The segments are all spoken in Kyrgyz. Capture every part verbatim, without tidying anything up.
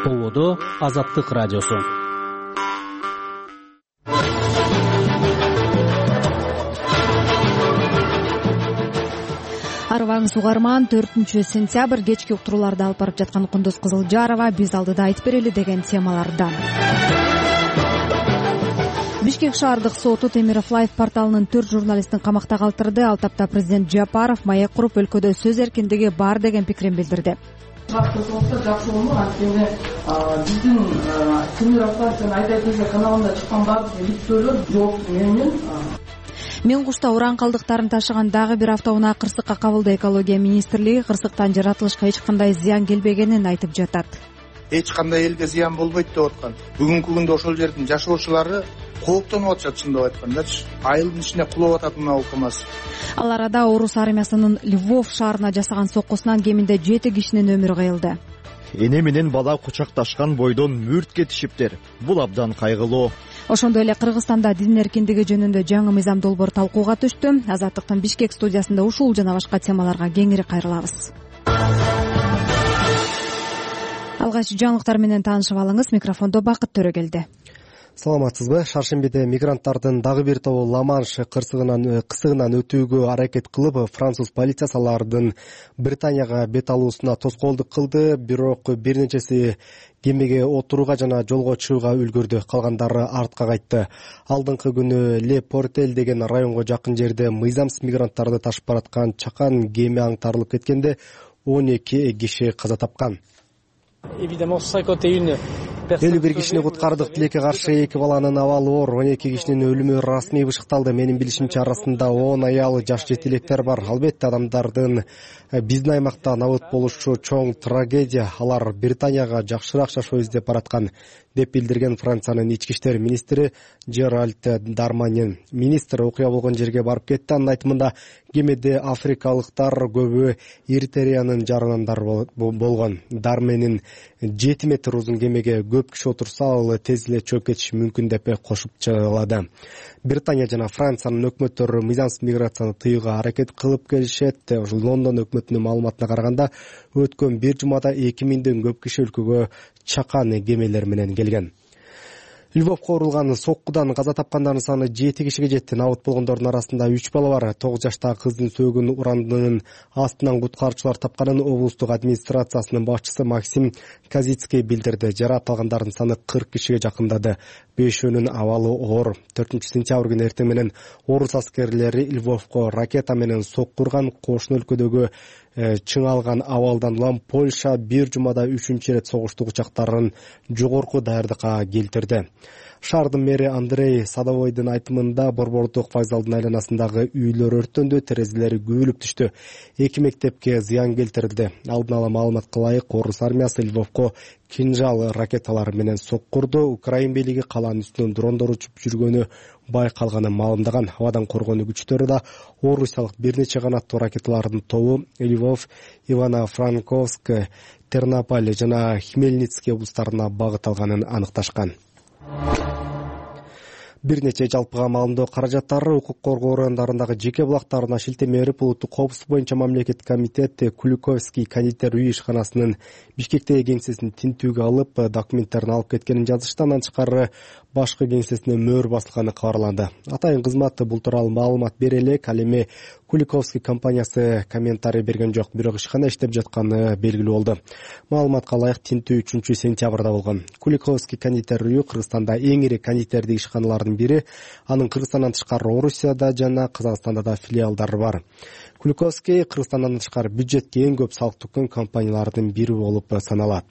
Болодо Азаттык радиосу. Арыбаңыз угарман, төртүнчү сентябрь кечки уктурууларды алып барып жаткан Кундуз Кызылжарова биз алдыда айтып берели деген темалардан. Бишкек шаардык соту Темиров Лайф порталынын төрт журналистин камакта калтырды. Ал тапта президент Жапаров маек куруп өлкөдө сөз эркиндиги бар деген пикирин билдирди. Жакшы болмок, анткени биздин Темиров Лайфтын айта келсе каналында чыккан баардык иликтөөлөр жооп менен. Мен кушта уран калдыктарын ташыган дагы бир автоунаа кырсыкка кабылды. Экология министрлиги кырсыктан жаратылышка эч кандай зыян келбегенин айтып жатат. Эч кандай элге зыян болбойт деп аткан. Бүгүнкү күндө ошол жердин жашоочулары кооптонуп атышат, чындап айткандачы. Айылдын ичине кулап атат мына УКМАС. Ал арада орус армиясынын Львов шаарына жасаган соккусунан кеминде жети кишинин өмүрү кыйылды. Эне менен бала кучакташкан бойдон мүрт кетишиптер. Бул абдан кайгылуу. Ошондой эле Кыргызстанда дин эркиндиги жөнүндө жаңы мыйзам долбоор талкууга түштү. Азаттыктын Бишкек студиясында ушул жана башка темаларга кеңири кайрылабыз. Алгач жаңылыктар менен таанышып алыңыз. Микрофондо Бакыт Төрөгелди. Саламатсызбы? Шаршембиде мигранттардын дагы бир тобу Ла-Манш кырсыгынан кысыгынан өтүүгө аракет кылып, француз полициясы алардын Британияга бет алуусуна тоскоолдук кылды. Бирок бир нечеси кемеге отурууга жана жолго чыгууга үлгүрдү. Калгандары артка кайтты. Алдыңкы күнү Ле Портель деген районго жакын жерде мыйзамсыз мигранттарды ташып бараткан чакан кеме аңтарылып кеткенде он эки киши каза тапкан. элүү бир кишини куткардык. Тилекке каршы эки баланын абалы оор. он эки кишинин өлүмү расмий бышыкталды. Менин билишимче, арасында он аял, жаш жетилектер бар. Албетте адамдардын биздин аймакта набыт болушу чоң трагедия. Алар Британияга жакшыраак жашоо издеп бараткан, деп билдирген Франциянын ички иштер министри Жеральд Дарманин. Министр окуя болгон жерге барып кетти. Анын айтымында кемеде африкалыктар көбү Эритреянын жаранандары болгон. Дарманин жети метр узун кемеге көп киши отурса, ал тез эле чөгүп кетиши мүмкүн деп кошумчалады. Британия жана Франциянын өкмөттөрү мыйзамсыз миграцияны тыюуга аракет кылып келишет. Ошол Лондон өкмөтүнүн маалыматына караганда, өткөн бир жумада эки миңден көп киши өлкөгө чакан кемелер менен келген. Львовко урулган соккудан каза тапкандардын саны жети кишиге жетти. Набыт болгондордун арасында үч бала бар. тогуз жаштагы кыздын сөөгүн урандынын астынан куткаруучулар тапканын облустук администрациясынын башчысы Максим Казицкий билдирди. Жаракат алгандардын саны кырк кишиге жакындады. Бешөөнүн абалы оор. төртүнчү сентябрь күнү эртең менен орус аскерлери Львовко ракета менен сокку урган. Кошуна өлкөдөгү чыңалган абалдан улам Польша бир жумада үчүнчү ирет согуштук учактарын жогорку даярдыкка келтирди. Шаардын мэри Андрей Садовойдун айтымында Борбордук вокзалдын айланасындагы үйлөр өрттөндү, терезелери күбөлүп түштү. Эки мектепке зыян келтирилди. Алдын ала маалыматка ылайык, орус армиясы Львовко кинжал ракеталары менен соккурду. Украин бийлиги калаанын үстүнөн дрондор учуп жүргөнү байкалганын маалымдаган. Абадан коргонуу күчтөрү да орусиялык бир нече канаттуу ракеталардын тобу Львов, Ивано-Франковск, Тернополь жана Хмельницкий облустарына багыт алганын аныкташкан. Бир нече жалпыга маалымдоо каражаттары укук коргоо органдарындагы жеке булактарына шилтеме берип, улуттук коопсуздук боюнча мамлекеттик комитет Куликовский кондитер үй ишканасынын Бишкектеги кеңсесин тинтүүгө алып, документтерин алып кеткенин жазышты. Андан тышкары башкы кеңсесине мөөр басылганы кабарланды. Атайын кызмат бул тууралуу маалымат бере элек. Ал эми Куликовский компаниясы комментарий берген жок, бирок ишкана иштеп жатканы белгилүү болду. Маалыматка ылайык, тинтүү үчүнчү сентябрда болгон. Куликовский кондитер үйү Кыргызстанда эң ири кондитердик ишканалардын бири. Анын Кыргызстандан тышкары Орусияда жана Казакстанда да филиалдары бар. Куликовский Кыргызстандан тышкары бюджетке эң көп салык төккөн компаниялардын бири болуп саналат.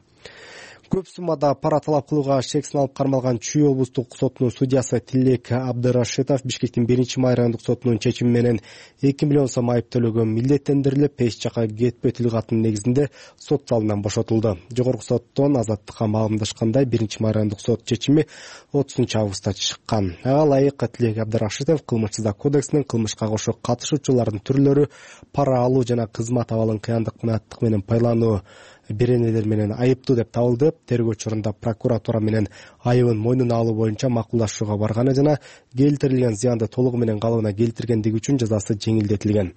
Көп суммада пара талап кылууга шек салып кармалган Чүй облустук сотунун судьясы Тилек Абдырашитов Бишкектин биринчи майрандык сотунун чечими менен эки миллион сом айып төлөгөн милдеттендирилип, эч жака кетпөө тил катынын негизинде сот залынан бошотулду. Жогорку соттон азаттыкка маалымдашкандай, биринчи майрандык сот чечими отузунчу августта чыккан. Ага ылайык Тилек Абдырашитов Кылмыш-жаза кодексинин кылмышка кошо катышуучулардын түрлөрү, пара алуу жана кызмат абалын кыяндык, мынаттык менен пайлануу беренелер менен айыптуу деп табылды. Тергөө учурунда прокуратура менен айыбын мойнуна алуу боюнча макулдашууга барганы жана келтирилген зыянды толугу менен калыбына келтиргендиги үчүн жазасы жеңилдетилген.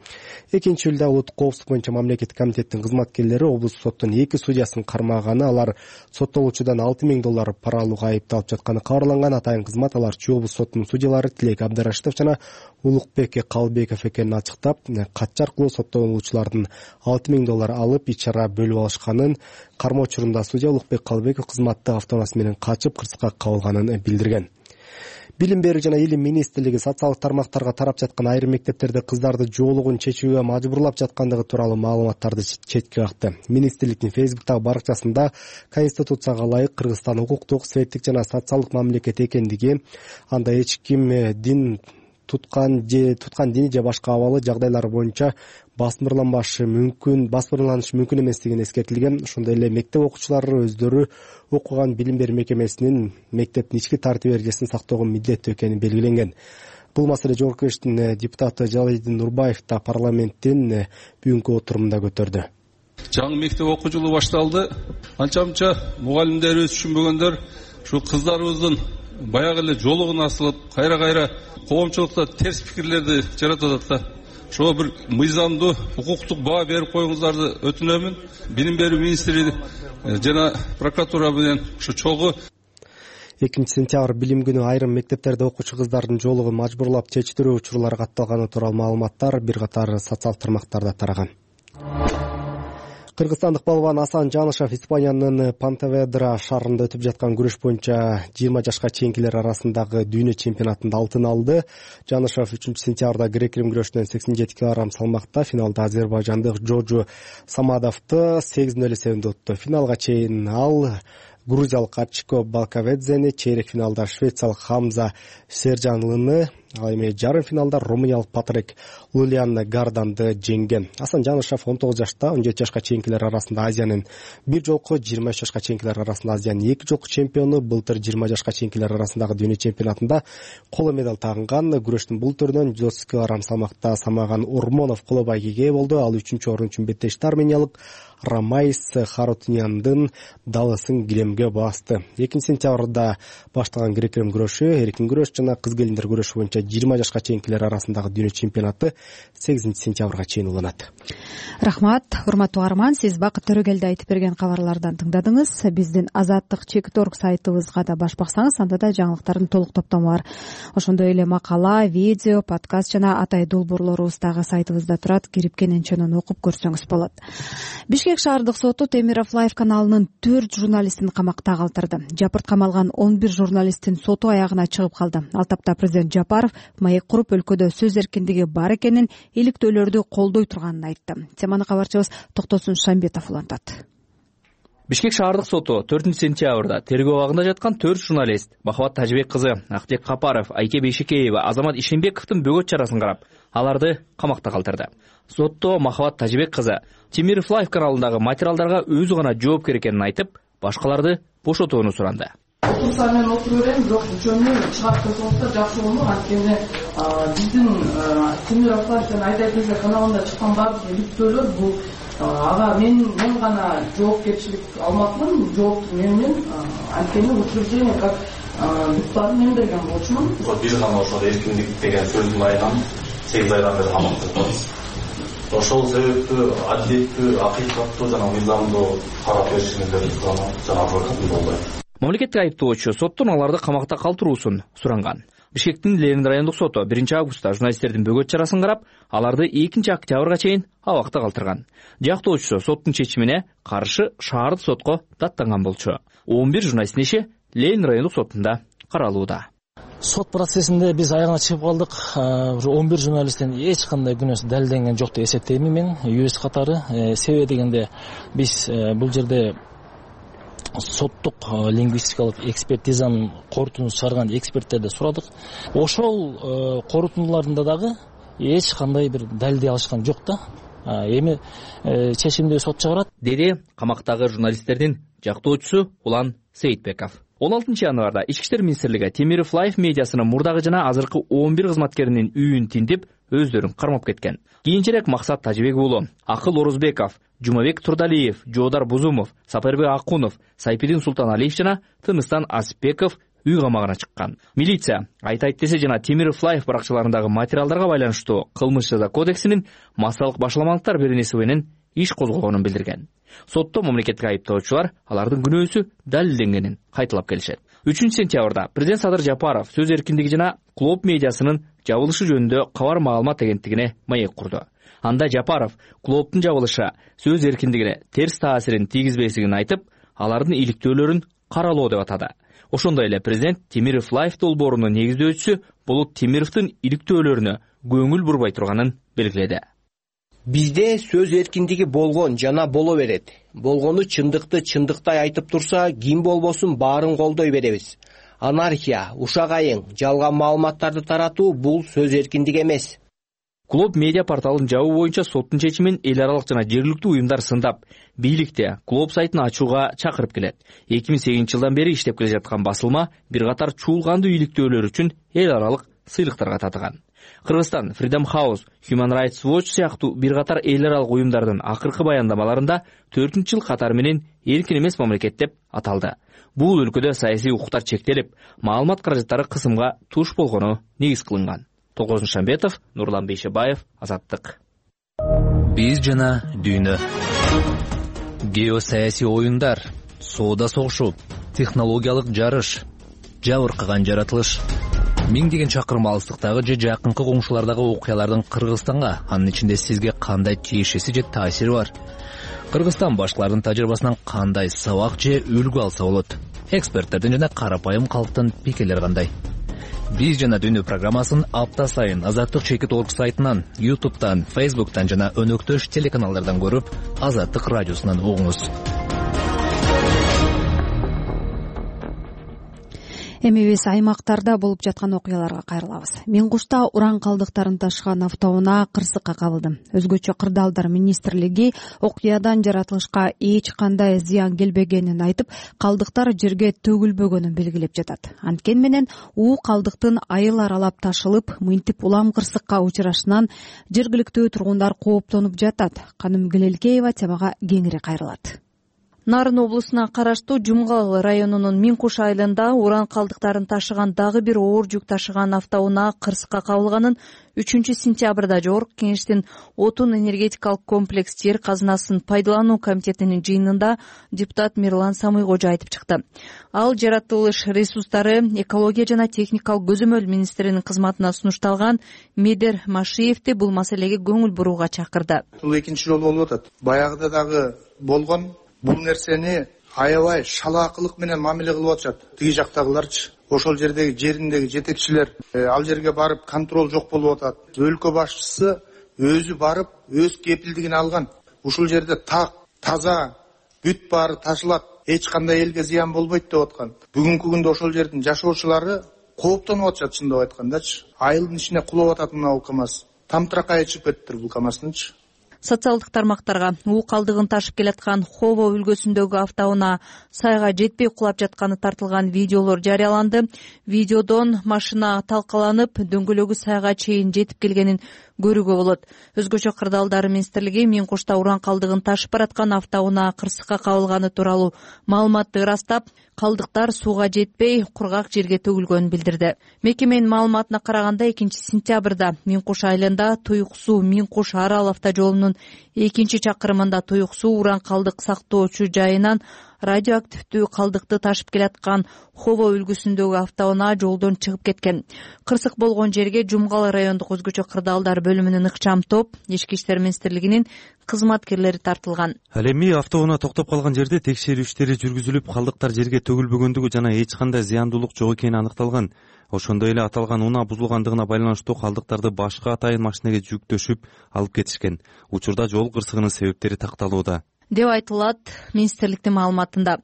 Экинчи июлда улуттук коопсуздук боюнча мамлекеттик комитеттин кызматкерлери облустук соттун эки судьясын кармаганы, алар соттолуучудан алты миң доллар пара алууга айыпталып жатканы кабарланган. Атайын кызмат алар Чүй облустук сотунун судьялары Тилек Абдрашитов жана Улукбек Калбеков экенин ачыктап, катча аркылуу соттолуучулардын алты миң доллар алып ич чара бөлүп алышканын, кармоо учурунда судья Улукбек Калбеков кызматтык автоунаасы менен качып кырсыкка кабылганын билдирген. Билим берүү жана илим министрлиги социалдык тармактарга тарап жаткан айрым мектептерде кыздарды жоолугун чечүүгө мажбурлап жаткандыгы тууралуу маалыматтарды четке какты. Министрликтин фейсбуктагы баракчасында Конституцияга ылайык Кыргызстан укуктук, светтик жана социалдык мамлекет экендиги, анда эч ким дин туткан же туткан дини же башка абалы жагдайлар боюнча басмырланбашы мүмкүн, басмырланышы мүмкүн эместигин эскертилген. Ошондой эле мектеп окуучулары өздөрү окуган билим берүү мекемесинин мектептин ички тартип эрежесин сактоого милдеттүү экени белгиленген. Бул маселе Жогорку Кеңештин депутаты Жалалидин Нурбаев да парламенттин бүгүнкү отурумунда көтөрдү. Жаңы мектеп окуу жылы башталды. Анча-мынча мугалимдерибиз түшүнбөгөндөр ушу кыздарыбыздын баягы эле жолугун асылып, кайра-кайра коомчулукта терс пикирлерди жаратып атат да. Ошо бир мыйзамдуу укуктук баа берип коюңуздарды өтүнөмүн. Билим берүү министри жана прокуратура менен ушу чогуу экинчи сентябрь билим күнү айрым мектептерде окуучу кыздардын жоолугун мажбурлап чечтирүү учурлары катталганы тууралуу маалыматтар бир катар социалдык тармактарда тараган. Кыргызстандык балбан Асан Жанышев Испаниянын Пантеведра шаарында өтүп жаткан күрөш боюнча жыйырма жашка чейинкилер арасындагы дүйнө чемпионатында алтын алды. Жанышев үчүнчү сентябрда грек-рим күрөшүнөн сексен жети килограмм салмакта финалда азербайжандык Джоджу Самадовду сегиз ноль эсебинде утtu. Финалга чейин ал грузиялык Ачико Балкаведзени, чейрек финалда швециялык Хамза Сержанлыны, ал эми жарым финалда румыниялык Патрик Лулиан Гарданды жеңген. Асан Жанышев он тогуз жашта, он жети жашка чейинкилер арасында Азиянын бир жолку, жыйырма үч жашка чейинкилер арасында Азиянын эки жолку чемпиону. Былтыр жыйырма жашка чейинкилер арасындагы дүйнө чемпионатында коло медаль тагынган. Күрөштүн бул түрүнөн жүз отуз килограмм салмакта Самаган Урмонов коло байгеге болду. Ал үчүнчү орун үчүн беттешти армениялык Рамайс Харутуняндын далысын килемге басты. экинчи сентябрда башталган грек-рим күрөшү, эркин күрөш жана кыз келиндер күрөшү боюнча жыйырма жашка чейинкилер арасындагы дүйнө чемпионаты сегизинчи сентябрга чейин уланат. Рахмат, урматтуу угарман, сиз Бакыт Төрөгелди айтып берген кабарлардан тыңдадыңыз. Биздин Азаттык чекит орг сайтыбызга да баш баксаңыз, анда да жаңылыктардын толук топтому бар. Ошондой эле макала, видео, подкаст жана атай долбоорлорубуз дагы сайтыбызда турат. Кирип кененченен окуп көрсөңүз болот. Бишкек шаардык соту Темиров Лайф каналынын төрт журналистин камакта калтырды. Жапырт камалган он бир журналисттин соту аягына чыгып калды. Ал тапта президент Жапаров маек куруп өлкөдө сөз эркиндиги бар экенин, иликтөөлөрдү колдой турганын айтты. Теманы кабарчыбыз Токтосун Шамбетов улантат. Бишкек шаардык соту төртүнчү сентябрда тергөө абагында жаткан төрт журналист Махабат Тажыбек кызы, Актек Капаров, Айке Бейшекеева, Азамат Ишенбековдун бөгөт чарасын карап, аларды камакта калтырды. Сотто Махабат Тажыбек кызы Темиров Лайф каналындагы материалдарга өзү гана жооптер экенин айтып, башкаларды бошотууну суранды. Отурса мен отура берем, бирок жөнү чыгарып койсоңуздар жакшы болмок. Анткени биздин Темиров Лайф жана Айдай Кезе каналында чыккан баардык иликтөөлөр бул ага мен мен гана жоопкерчилик алмадым, жоопту менен. Анткени учреждение как депутат мен берген болчумун. Биз гана ошол эркиндик деген сөздүн айынан сегиз айдан бери камакта турабыз. Ошол себептүү адилеттүү, акыйкаттуу жана мыйзамдуу карап беришиңиздерди суранам жана жолдон болбойт. Мамлекеттик айыптоочу соттон аларды камакта калтыруусун суранган. Бишкектин Ленин райондук соту биринчи августта журналисттердин бөгөт чарасын карап, аларды экинчи октябрга чейин абакта калтырган. Жактоочусу соттун чечимине каршы шаардык сотко даттанган болчу. он бир журналисттин иши Ленин райондук сотунда каралууда. Сот процессинде биз аягына чыгып калдык. он бир журналисттин эч кандай күнөөсү далилденген жок деп эсептеймин мен юрист катары. Себеби дегенде биз бул жерде соттук лингвистикалык экспертизанын корутундун чыгарган эксперттерди сурадык. Ошол корутундуларында дагы эч кандай бир далилдей алышкан жок да. Эми чечимди сот чыгарат, деди камактагы журналисттердин жактоочусу Улан Сейитбеков. он алтынчы январда Ички иштер министрлиги Темиров Лайф медиасынын мурдагы жана азыркы он бир кызматкеринин үйүн тинтип, өздөрүн кармап кеткен. Кийинчерээк Максат Тажибек уулу, Акыл Орузбеков, Жумабек Турдалиев, Жоодар Бузумов, Сапарбек Акунов, Сайпидин Султаналиев жана Тыныстан Асипбеков үй камагына чыккан. Милиция Айтайт десе жана Темиров Лайф баракчаларындагы материалдарга байланыштуу кылмыш жаза кодексинин массалык башаламалыктар беренеси менен иш козгогонун билдирген. Сотто мамлекеттик айыптоочулар алардын күнөөсү далилденгенин кайталап келишет. үчүнчү сентябрда президент Садыр Жапаров сөз эркиндиги жана Клоп медиасынын жабылышы жөнүндө кабар маалымат агенттигине маек курду. Анда Жапаров Клоптун жабылышы сөз эркиндигине терс таасирин тийгизбесин айтып, алардын иликтөөлөрүн каралоо деп атады. Ошондой эле президент Темиров Лайф долбоорунун негиздөөчүсү Болот Темировдун иликтөөлөрүнө көңүл бурбай турганын белгиледи. Бизде сөз эркиндиги болгон жана боло берет. Болгону чындыкты чындыктай айтып турса, ким болбосун баарын колдой беребиз. Анархия, ушак айың, жалган маалыматтарды таратуу бул сөз эркиндиги эмес. Клоп медиа порталын жабуу боюнча соттун чечимин эл аралык жана жергиликтүү уюмдар сындап, бийликте Клоп сайтын ачууга чакырып келет. эки миң сегизинчи жылдан бери иштеп келе жаткан басылма бир катар чуулгандуу иликтөөлөр үчүн эл аралык сыйлыктарга татыган. Кыргызстан Freedom House, Human Rights Watch сыяктуу бир катар эл аралык уюмдардын акыркы баяндамаларында төртүнчү жыл катары менен эркин эмес мамлекет деп аталды. Бул өлкөдө саясий укуктар чектелип, маалымат каражаттары кысымга туш болгону негиз кылынган. Толгозун Шамбетов, Нурлан Бейшебаев, Азаттык. Биз жана дүйнө. Геосаясий оюндар, соода согушу, технологиялык жарыш, жабыркаган жаратылыш. Миңдеген чакырым алыстыктагы же жакынкы коңшулардагы окуялардын Кыргызстанга, анын ичинде сизге кандай тиешеси же таасири бар? Кыргызстан башкалардын тажрыйбасынан кандай сабак же үлгү алса болот? Эксперттердин жана карапайым калктын пикирлери кандай? Биз жана дүйнө программасын апта сайын Азаттык чекит точка орг сайтынан, YouTube'дан, Facebook'тан жана өнөктөш телеканалдардан көрүп, Азаттык радиосунан угуңуз. Эми биз аймактарда болуп жаткан окуяларга кайрылабыз. Мен кушта уран калдыктарын ташыган автоунаа кырсыкка кабылды. Өзгөчө Кырдаалдар министрлиги окуядан жаратылышка эч кандай зыян келбегенин айтып, калдыктар жерге төгүлбөгөнүн белгилеп жатат. Анткени менен уу калдыктын айыл аралап ташылып, мынтип улам кырсыкка учурашынан жергиликтүү тургундар кооптонуп жатат. Каным Гелелкеева темага кеңири кайрылат. Нарын облусуна караштуу Жумгал районунун Минкуш айылында уран калдыктарын ташыган дагы бир оор жүк ташыган автоунаа кырсыкка кабылганын үчүнчү сентябрда Жогорку Кеңештин отун энергетикалык комплекс жер казынасын пайдалануу комитетинин жыйынында депутат Мирлан Самыйкожо айтып чыкты. Ал жаратылыш ресурстары, экология жана техникалык көзөмөл министринин кызматына сунушталган Медер Машиевди бул маселеге көңүл бурууга чакырды. Бул экинчи жолу болуп атат. Баягыда дагы болгон бул нерсени аябай шалаакылык менен мамиле кылып атышат. Тиги жактагыларчы, ошол жердеги жериндеги жетекчилер ал жерге барып контроль жок болуп атат. Өлкө башчысы өзү барып, өз кепилдигин алган. Ушул жерде так, таза, бүт баары ташылат, эч кандай элге зыян болбойт деп аткан. Бүгүнкү күндө ошол жердин жашоочулары кооптонуп атышат, чындап айткандачы. Айылдын ичине кулап атат мына КАМАЗ. Тамтыракай чыгып кетиптир бул КАМАЗдынчы. Социалдык тармактарга уу калдыгын ташып келаткан Хово өлкөсүндөгү автоунаа сайга жетпей кулап жатканы тартылган видеолор жарыяланды. Видеодон машина талкаланып, дөңгөлөгү сайга чейин жетип келгенин көрүүгө болот. Өзгөчө Кырдаалдар министрлиги Минкушта уран калдыгын ташып бараткан автоунаа кырсыкка кабылганы тууралуу маалыматты ырастап, калдыктар сууга жетпей, кургак жерге төгүлгөнүн билдирди. Мекеменин маалыматына караганда экинчи сентябрда Минкуш айылында Туюк суу Минкуш Арал автожолунун экинчи чакырымында Туюк суу уран калдык сактоочу жайынан радиоактивдүү калдыкты ташып келаткан Хово үлгүсүндөгү автоунаа жолдон чыгып кеткен. Кырсык болгон жерге Жумгал райондук өзгөчө Кырдаалдар бөлүмүнүн ыкчам топ, Ички иштер министрлигинин кызматкерлери тартылган. Ал эми автоунаа токтоп калган жерде текшерүү иштери жүргүзүлүп, калдыктар жерге төгүлбөгөндүгү жана эч кандай зыяндуулук жок экени аныкталган. Ошондой эле аталган унаа бузулгандыгына байланыштуу калдыктарды башка атайын машинеге жүктөшүп алып кетишкен. Учурда жол кырсыгынын себептери такталууда деп айтылат министрликтин маалыматында.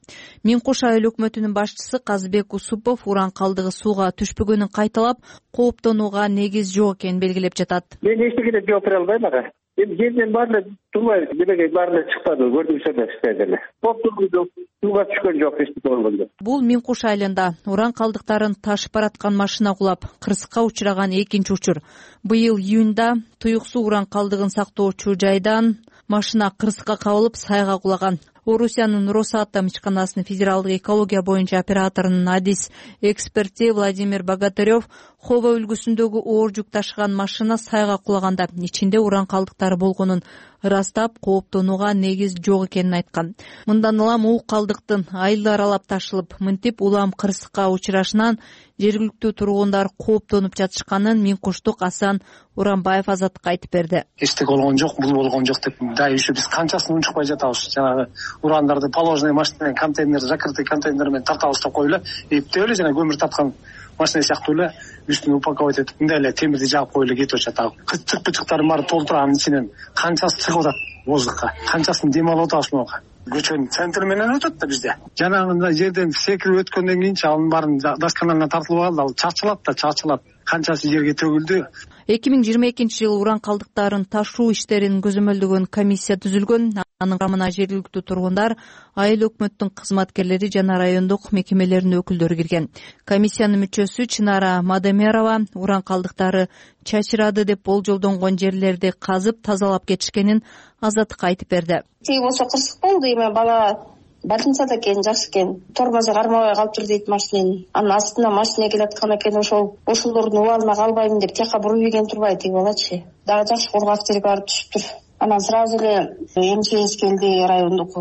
Минкуш айыл өкмөтүнүн башчысы Казбек Усупов уран калдыгы сууга түшпөгөнүн кайталап, кооптонууга негиз жок экенин белгилеп жатат. Мен эчтеке деп жооп бере албайм ага. эми жерден баары эле турбай демек баары эле чыкпады, көрдүңүздөр да сиздер деле. Топтурду сууга түшкөн жок эч болгондо. Бул Миң Куш айылында уран калдыктарын ташып бараткан машина кулап кырсыкка учураган экинчи учур. Быйыл июнда Туюксуу уран калдыгын сактоочу жайдан машина кырсыкка кабылып сайга кулаган. Орусиянын Росатом ишканасынын федералдык экология боюнча операторунун адис эксперти Владимир Богатырев Хоба үлгүсүндөгү оор жүк ташыган машина сайга кулаганда ичинде уран калдыктары болгонун ырастап, кооптонууга негиз жок экенин айткан. Мындан улам уу калдыктын айылды аралап ташылып, мынтип улам кырсыкка учурашынан жергиликтүү тургундар кооптонуп жатышканын Миң Куштук Асан Уранбаев Азаттыкка айтып берди. Эчтеке болгон жок, бул болгон жок деп дайы еще биз канчасын унчукпай жатабыз. Жанагы урандарды положенный машина менен, контейнер, закрытый контейнер менен тартабыз деп коюп эле, эптеп эле жана көмүр тарткан машина сыяктуу эле үстүн упаковать этип, мындай эле темирди жаап коюп эле кетип атат. Кычык-пычыктарын баары толтурганын ичинен канчасы чыгып атат воздухка, канчасын дем алып атабыз могу. Көчөнүн центри менен өтөт да бизде. Жанагындай жерден секирип өткөндөн кийин анын баарын даш каналына тартылып алды, ал чачылат да чачылат. Канчасы жерге төгүлдү. эки миң жыйырма экинчи жылы уран калдыктарын ташуу иштерин көзөмөлдөгөн комиссия түзүлгөн. Анын курамына жергиликтүү тургундар, айыл өкмөттүн кызматкерлери жана райондук мекемелердин өкүлдөрү кирген. Комиссиянын мүчөсү Чынара Мадемерова уран калдыктары чачырады деп болжолдонгон жерлерди казып тазалап кетишкенин Азаттыкка айтып берди. Тиги болсо кырсык болду, эми бала больницада экен, жакшы экен. Тормозу кармабай калыптыр дейт машинени. Анын астына машина келаткан экен, ошол ошолордун убалына калбайм деп тияка буруп ийген турбай тиги балачы. Дагы жакшы кургак жерге барып түшүптүр. Анан сразу эле МЧС келди, райондук,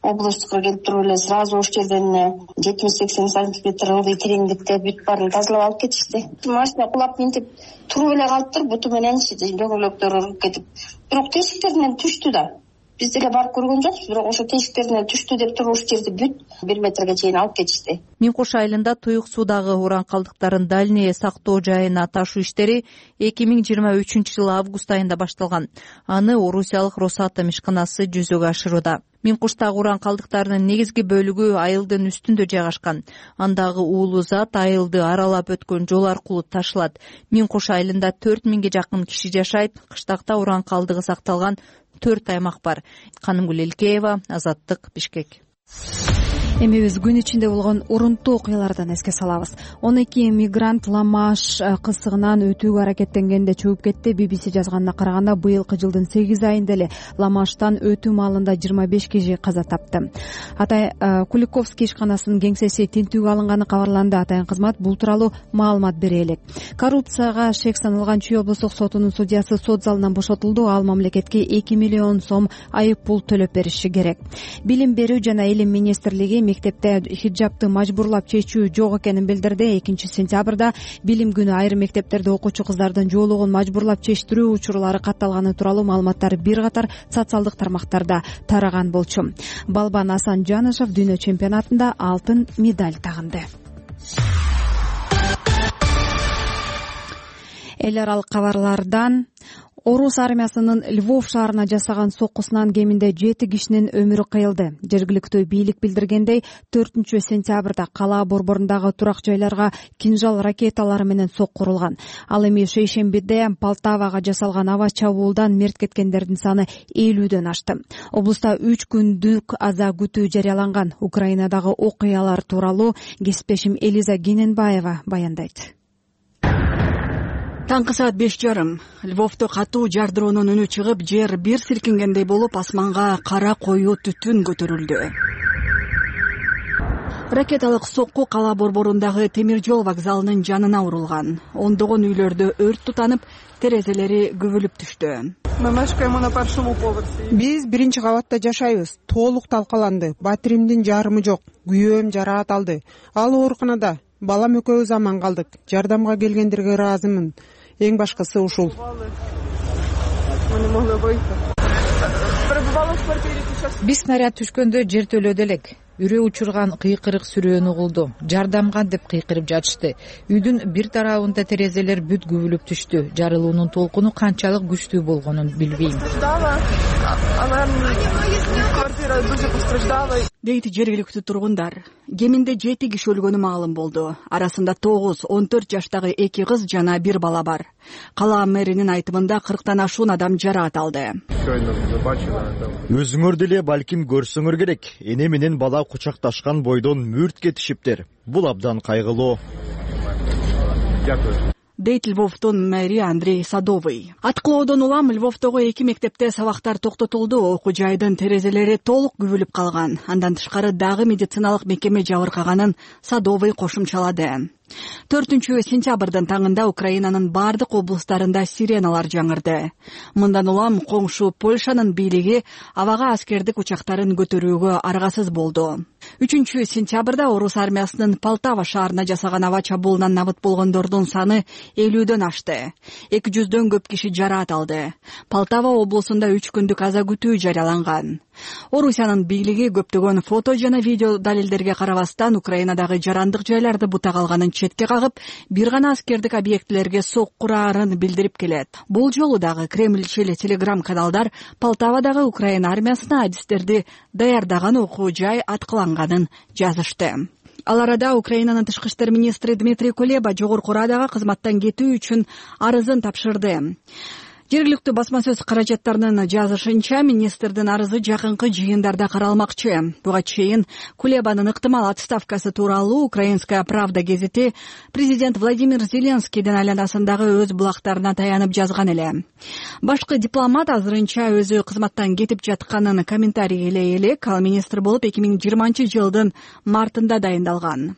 областтыкка келип туруп эле сразу ош жерден жетимиш сексен сантиметр ылдый тереңдикте бүт баарын тазалап алып кетишти. Машина кулап минтип туруп эле калыптыр, буту мененчи дөңгөлөктөр уруп кетип. Бирок тешиктеринен түштү да. Биз деле барып көргөн жокпуз, бирок ошо тешиктеринен түштү деп туруп уш жерди бүт бир метрге чейин алып кетишти. Миң Куш айылында Туюксуудагы уран калдыктарын дальний сактоо жайына ташуу иштери эки миң жыйырма үчүнчү жылы август айында башталган. Аны Орусиялык Росатом ишканасы жүзөгө ашырууда. Миң Куштагы уран калдыктарынын негизги бөлүгү айылдын үстүндө жайгашкан. Андагы уулуу зат айылды аралап өткөн жол аркылуу ташылат. Миң Куш айылында төрт миңге жакын киши жашайт. Кыштакта уран калдыгы сакталган төрт аймак бар. Канымгүл Элкеева, Азаттык, Бишкек. Эми биз күн ичинде болгон урунттуу окуялардан эске салабыз. он эки мигрант Ла-Маш кысыгынан өтүүгө аракеттенгенде чөгүп кетти. би би си жазганына караганда быйылкы жылдын сегиз айында эле Ла-Маштан өтүү маалында жыйырма беш киши каза тапты. Атай Куликовский ишканасынын кеңсеси тинтүүгө алынганы кабарланды. Атайын кызмат бул тууралуу маалымат бере элек. Коррупцияга шек саналган Чүй облустук сотунун судьясы сот залынан бошотулду. Ал мамлекетке эки миллион сом айып пул төлөп бериши керек. Билим берүү жана илим министрлиги мектепте хиджабты мажбурлап чечүү жок экенин билдирди. экинчи сентябрда билим күнү айрым мектептерде окуучу кыздардын жоолугун мажбурлап чечтирүү учурлары катталганы тууралуу маалыматтар бир катар социалдык тармактарда тараган болчу. Балбан Асанжанышев дүйнө чемпионатында алтын медаль тагынды. Эл аралык кабарлардан Орус армиясынын Львов шаарына жасаган соккусунан кеминде жети кишинин өмүрү кыйылды. Жергиликтүү бийлик билдиргендей, төртүнчү сентябрда кала борборундагы турак жайларга кинжал ракеталары менен сокку урулган. Ал эми шейшембиде Полтавага жасалган аба чабуулдан мерт кеткендердин саны элүүдөн ашты. Облуста үч күндүк аза күтүү жарыяланган. Украинадагы окуялар тууралуу кесиптешим Элиза Гененбаева баяндайт. Таңкы саат беш жарым. Львовдо катуу жардыроонун үнү чыгып, жер бир силкингендей болуп, асманга кара коюу түтүн көтөрүлдү. Ракеталык сокку кала борборундагы темир жол вокзалынын жанына урулган. Ондогон үйлөрдө өрт тутанып, терезелери күбүлүп түштү. Биз биринчи кабатта жашайбыз. Толук талкаланды. Батиримдин жарымы жок. Күйөөм жараат алды. Ал ооруканада. Балам экөөбүз аман калдык. Жардамга келгендерге ыраазымын. Эң башкысы ушул. Биз снаряд түшкөндө жертөлөдө элек. Үрөө учурган кыйкырык сүрөөнү угулду. Жардамга деп кыйкырып жатышты. Үйдүн бир тарабында терезелер бүт күбүлүп түштү. Жарылуунун толкуну канчалык күчтүү болгонун билбейм. Она квартира дуже постраждала. Дейт жергиликтүү тургундар. Кеминде жети киши өлгөнү маалым болду. Арасында тогуз, он төрт жаштагы эки кыз жана бир бала бар. Кала мэринин айтымында кырктан ашуун адам жараат алды. Өзүңөр деле балким көрсөңөр керек. Эне менен бала кучакташкан бойдон мүрт кетишиптер. Бул абдан кайгылуу. Дейт Львовдун мэри Андрей Садовый. Аткылоодон улам Львовдогу эки мектепте сабактар токтотулду. Окуу жайдын терезелери толук күбүлүп калган. Андан тышкары дагы медициналык мекеме жабыркаганын Садовый кошумчалады. төртүнчү сентябрдын таңында Украинанын бардык облустарында сиреналар жаңырды. Мындан улам коңшу Польшанын бийлиги абага аскердик учактарын көтөрүүгө аргасыз болду. үчүнчү сентябрда орус армиясынын Полтава шаарына жасаган аба чабуулунан набыт болгондордун саны элүүдөн ашты. эки жүздөн көп киши жараат алды. Полтава облусунда үч күндүк аза күтүү жарыяланган. Орусиянын бийлиги көптөгөн фото жана видео далилдерге карабастан Украинадагы жарандык жайларды бута калганын четке кагып, бир гана аскердик объектилерге соккураарын билдирип келет. Бул жолу дагы Кремльчил телеграм-каналдар Полтавадагы Украина армиясына адистерди даярдаган окуу жай аткыланганын жазышты. Ал арада Украинанын тышкы иштер министри Дмитрий Кулеба жогорку Радага кызматтан кетүү үчүн арызын тапшырды. Жергиликтүү басма сөз каражаттарынын жазышынча, министрдин арызы жакынкы жыйындарда каралмакчы. Буга чейин Кулебанын ыктымал отставкасы тууралуу Украинская правда гезити президент Владимир Зеленскийдин айланасындагы өз булактарына таянып жазган эле. Башкы дипломат азырынча өзү кызматтан кетип жатканын комментарийге элек, ал министр болуп эки миң жыйырманчы жылдын мартында дайындалган.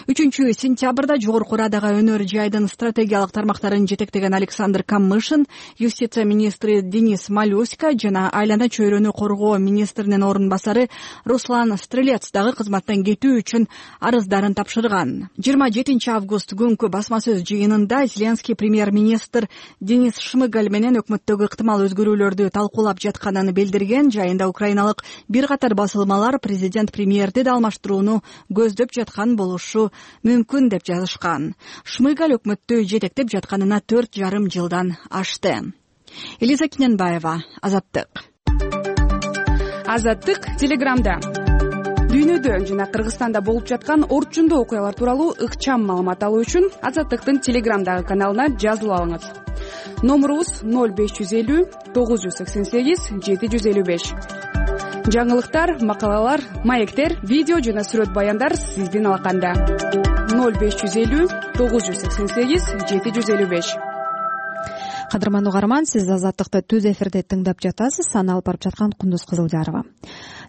үчүнчү сентябрда жогорку Радага өнөр жайдын стратегиялык тармактарын жетектеген Александр Камышин, юстиция министри Денис Малюська жана айлана чөйрөнү коргоо министринин орун басары Руслан Стрелец дагы кызматтан кетүү үчүн арыздарын тапшырган. жыйырма жетинчи август күнкү басма сөз жыйынында Зеленский премьер-министр Денис Шмыгаль менен өкмөттөгү ыктымал өзгөрүүлөрдү талкуулап жатканын билдирген. Жайында украиналык бир катар басылмалар президент премьерди да алмаштырууну көздөп жаткан болушу мүмкүн деп жазышкан. Шмыгаль өкмөттү жетектеп жатканына төрт жарым жылдан ашты. Элиза Киненбаева, Азаттык. Азаттык телеграмда. Дүйнөдө жана Кыргызстанда болуп жаткан орчундуу окуялар тууралуу ыкчам маалымат алуу үчүн Азаттыктын телеграмдагы каналына жазылып алыңыз. Номурубуз ноль беш жүз элүү тогуз жүз сексен сегиз жети жүз элүү беш. Жаңылыктар, макалалар, маектер, видео жана сүрөт баяндар сиздин алаканда. ноль беш жүз элүү тогуз жүз сексен сегиз жети жүз элүү беш. Кадырман угарман, сиз Азаттыкты түз эфирде тыңдап жатасыз. Аны алып барып жаткан Кундуз Кызылжарова.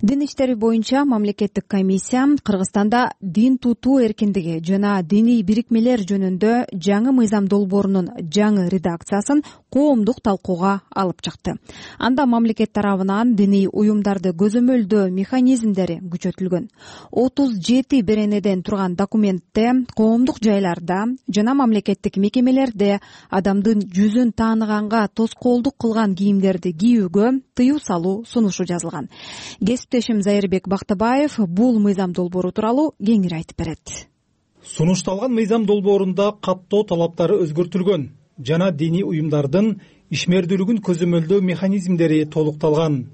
Дин иштери боюнча мамлекеттик комиссия Кыргызстанда дин тутуу эркиндиги жана диний бирикмелер жөнүндө жаңы мыйзам долбоорунун жаңы редакциясын коомдук талкууга алып чыкты. Анда мамлекет тарабынан диний уюмдарды көзөмөлдөө механизмдери күчөтүлгөн. отуз жети беренеден турган документте коомдук жайларда жана мамлекеттик мекемелерде адамдын жүзүн тааныганга тоскоолдук кылган кийимдерди кийүүгө тыюу салуу сунушу жазылган. Кесиптешим Зайырбек Бактыбаев бул мыйзам долбоору тууралуу кеңири айтып берет. Сунушталган мыйзам долбоорунда каттоо талаптары өзгөртүлгөн жана диний уюмдардын ишмердүүлүгүн көзөмөлдөө механизмдери толукталган.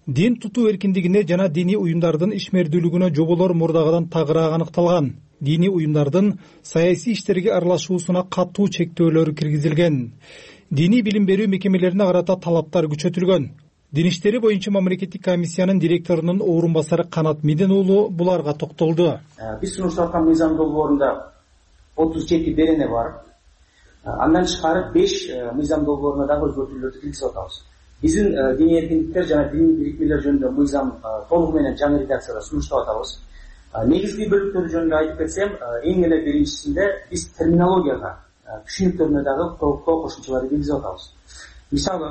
Дин тутуу эркиндигине жана диний уюмдардын ишмердүүлүгүнө жоболор мурдагыдан тагыраак аныкталган. Диний уюмдардын саясий иштерге аралашуусуна катуу чектөөлөр киргизилген. Диний билим берүү мекемелерине карата талаптар күчөтүлгөн. Дин иштери боюнча мамлекеттик комиссиянын директорунун орун басары Канат Миден уулу буларга токтолду. Биз сунуштап аткан мыйзам долбоорунда отуз жети берене бар. Андан тышкары беш мыйзам долбооруна дагы өзгөртүүлөрдү киргизип атабыз. Биздин диний эркиндиктер жана диний бирикмелер жөнүндө мыйзам толугу менен жаңы редакцияда сунуштап атабыз. Негизги бөлүктөрү жөнүндө айтып кетсем, эң эле биринчисинде биз терминологияга, түшүнүктөрүнө дагы толуктоо кошумчаларды киргизип атабыз. Мисалы,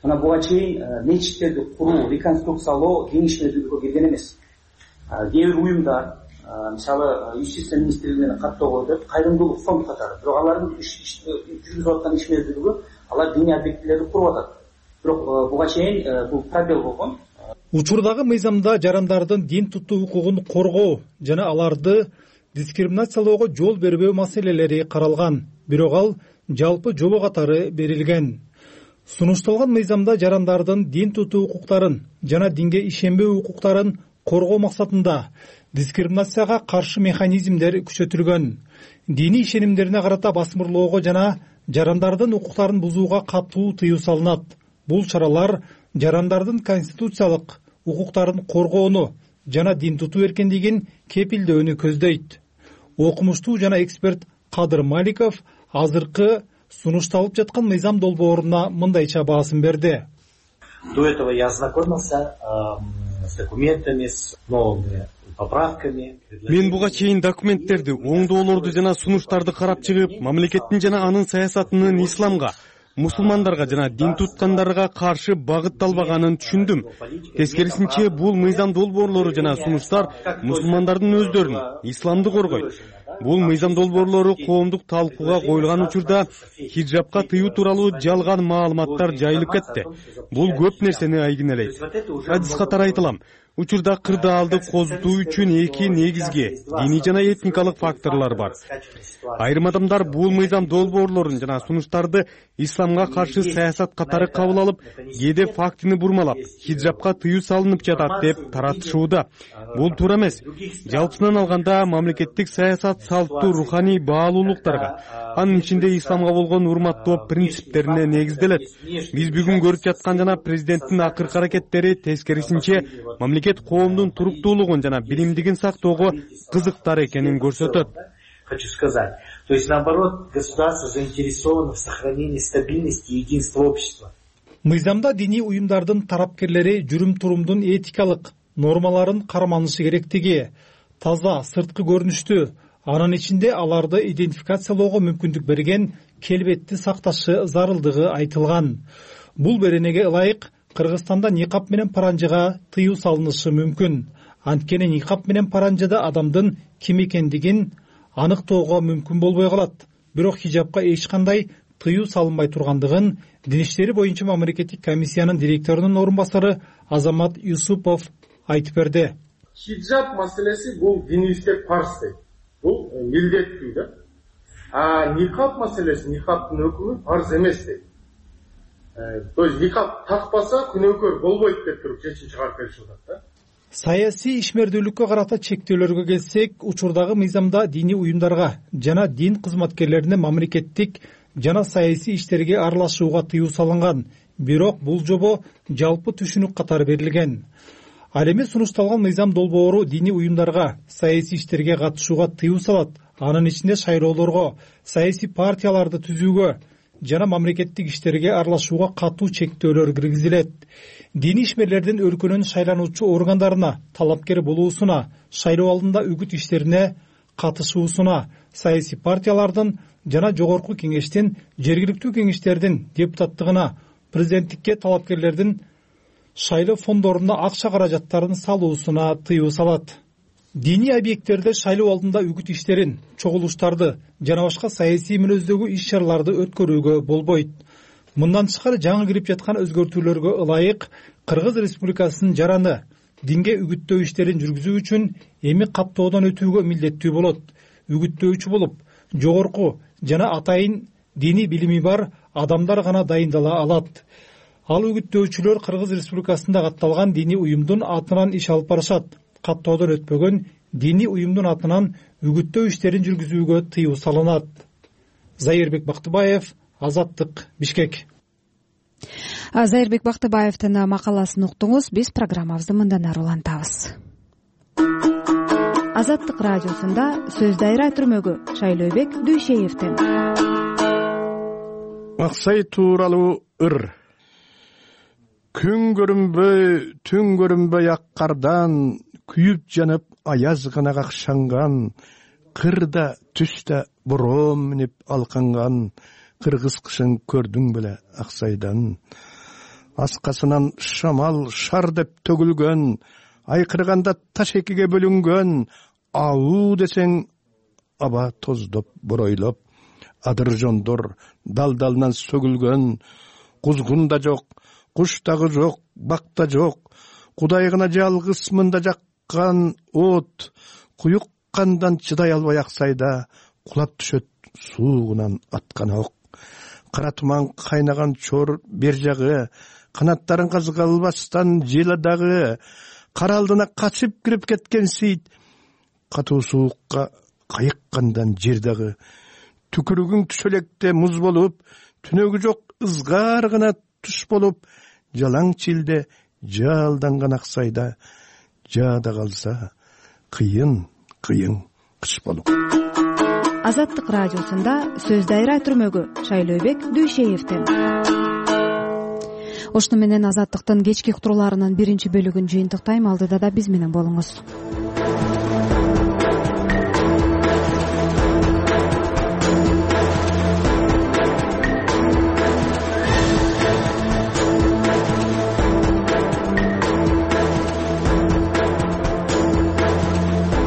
мына буга чейин мечиттерди куруу, реконструкциялоо кеңешмедүүлүккө кирген эмес. Кээ бир уюмдар, мисалы, юстиция министрлигинин каттоого өтөт, кайрымдуулук фонд катары, бирок алардын жүргүзүп аткан ишмердүүлүгү алар диний объектилерди куруп атат. Бирок буга чейин бул пробел болгон. Учурдагы мыйзамда жарандардын дин тутуу укугун коргоо жана аларды дискриминациялоого жол бербөө маселелери каралган, бирок ал жалпы жобо катары берилген. сунушталган мыйзамда жарандардын дин тутуу укуктарын жана динге ишенбөө укуктарын коргоо максатында дискриминацияга каршы механизмдер күчөтүлгөн. Диний ишенимдерине карата басмырлоого жана жарандардын укуктарын бузууга катуу тыюу салынат. Бул чаралар жарандардын конституциялык укуктарын коргоону жана дин тутуу эркиндигин кепилдөөнү көздөйт. Окумуштуу жана эксперт Кадыр Маликов азыркы сунушталып жаткан мыйзам долбооруна мындайча баасын берди. До этого я ознакомился с документами, с новыми поправками. Мен буга чейин документтерди, оңдоолорду жана сунуштарды карап чыгып, мамлекеттин жана анын саясатынын исламга, мусулмандарга жана дин туткандарга каршы багытталбаганын түшүндүм. Тескерисинче, бул мыйзам долбоорлору жана сунуштар мусулмандардын өздөрүн, исламды коргойт. Бул мыйзам долбоорлору коомдук талкууга коюлган учурда хиджабка тыюу тууралуу жалган маалыматтар жайылып кетти. Бул көп нерсени айгинелейт. Адис катары айтылам. Учурда кырдаалды козутуу үчүн эки негизги диний жана этникалык факторлор бар. Айрым адамдар бул мыйзам долбоорлорун жана сунуштарды исламга каршы саясат катары кабыл алып, кээде фактыны бурмалап, хиджабка тыюу салынып жатат деп таратышууда. Бул туура эмес. Жалпысынан алганда мамлекеттик саясат салттуу руханий баалуулуктарга, анын ичинде исламга болгон урматтоо принциптерине негизделет. Биз бүгүн көрүп жаткан жана президенттин акыркы аракеттери тескерисинче мамлекет коомдун туруктуулугун жана билимдигин сактоого кызыктар экенин көрсөтөт. Хочу сказать, то есть наоборот, государство заинтересовано в сохранении стабильности и единства общества. Мыйзамда диний уюмдардын тарапкерлери жүрүм-турумдун этикалык нормаларын карманышы керектиги, таза сырткы көрүнүштү, анын ичинде аларды идентификациялоого мүмкүндүк берген келбетти сакташы зарылдыгы айтылган. Бул беренеге ылайык Кыргызстанда никап менен паранжыга тыюу салынышы мүмкүн. Анткени никап менен паранжыда адамдын ким экендигин аныктоого мүмкүн болбой калат. Бирок хижабка эч кандай тыюу салынбай тургандыгын Дин иштери боюнча мамлекеттик комиссиянын директорунун орун басары Азамат Юсупов айтып берди. Хиджаб маселеси бул динибизде парз дейт. Бул милдеттүү да. А никап маселеси, никаптын өкүмү парз эмес дейт. То есть никап такпаса күнөөкөр болбойт деп туруп чечим чыгарып беришип атат да. Саясий ишмердүүлүккө карата чектөөлөргө келсек, учурдагы мыйзамда диний уюмдарга жана дин кызматкерлерине мамлекеттик жана саясий иштерге аралашууга тыюу салынган. Бирок бул жобо жалпы түшүнүк катары берилген. Ал эми сунушталган мыйзам долбоору диний уюмдарга саясий иштерге катышууга тыюу салат. Анын ичинде шайлоолорго, саясий партияларды түзүүгө жана мамлекеттик иштерге аралашууга катуу чектөөлөр киргизилет. Диний ишмерлердин өлкөнүн шайлануучу органдарына талапкер болуусуна, шайлоо алдында үгүт иштерине катышуусуна, саясий партиялардын жана жогорку кеңештин, жергиликтүү кеңештердин депутаттыгына, президенттикке талапкерлердин шайлоо фондоруна акча каражаттарын салуусуна тыюу салат. Диний объекттерде шайлоо алдында үгүт иштерин, чогулуштарды жана башка саясий мүнөздөгү иш-чараларды өткөрүүгө болбойт. Мындан тышкары жаңы кирип жаткан өзгөртүүлөргө ылайык Кыргыз Республикасынын жараны динге үгүттөө иштерин жүргүзүү үчүн эми каттоодон өтүүгө милдеттүү болот. Үгүттөөчү болуп, жогорку жана атайын диний билими бар адамдар гана дайындала алат. Ал үгүттөөчүлөр Кыргыз Республикасында катталган диний уюмдун атынан иш алып барышат. Каттоодон өтпөгөн диний уюмдун атынан үгүттөө иштерин жүргүзүүгө тыюу салынат. Зайырбек Бактыбаев, Азаттык, Бишкек. Зайырбек Бактыбаевдин макаласын уктуңуз. Биз программабызды мындан ары улантабыз. Азаттык радиосунда сөз дайра түрмөгү Шайлообек Дүйшеевдин. Аксай тууралуу ыр. Күн көрүнбөй, түн көрүнбөй ак кардан, күйүп жанып аяз гана какшанган, кырда түстө бороом минип алканган, кыргыз кышын көрдүң беле Аксайдан. Аскасынан шамал шар деп төгүлгөн, айкырганда таш экиге бөлүнгөн, ауу десең аба тоздоп боройлоп, адыр жондор дал-далынан сөгүлгөн, кузгун да жок, куш дагы жок, бак да жок, Кудай гана жалгыз мында жаккан от, куюк кандан чыдай албай Аксайда кулап түшөт суугунан аткан ок. кара туман кайнаган чор бер жагы, канаттарын казга албастан жела дагы, кара алдына качып кирип кеткен сейит, катуу суукка кайыккандан жер дагы, түкүрүгүң түшөлекте муз болуп, түнөгү жок ызгар гана туш болуп, жалаң чилде жалданган аксайда, жаада калса кыйын кыйын кыш болуп. Азаттык радиосунда сөз дайра түрмөгү Шайлообек Дүйшеевден. Ошону менен Азаттыктын кечки уктурууларынын биринчи бөлүгүн жыйынтыктайм. Алдыда да биз менен болуңуз.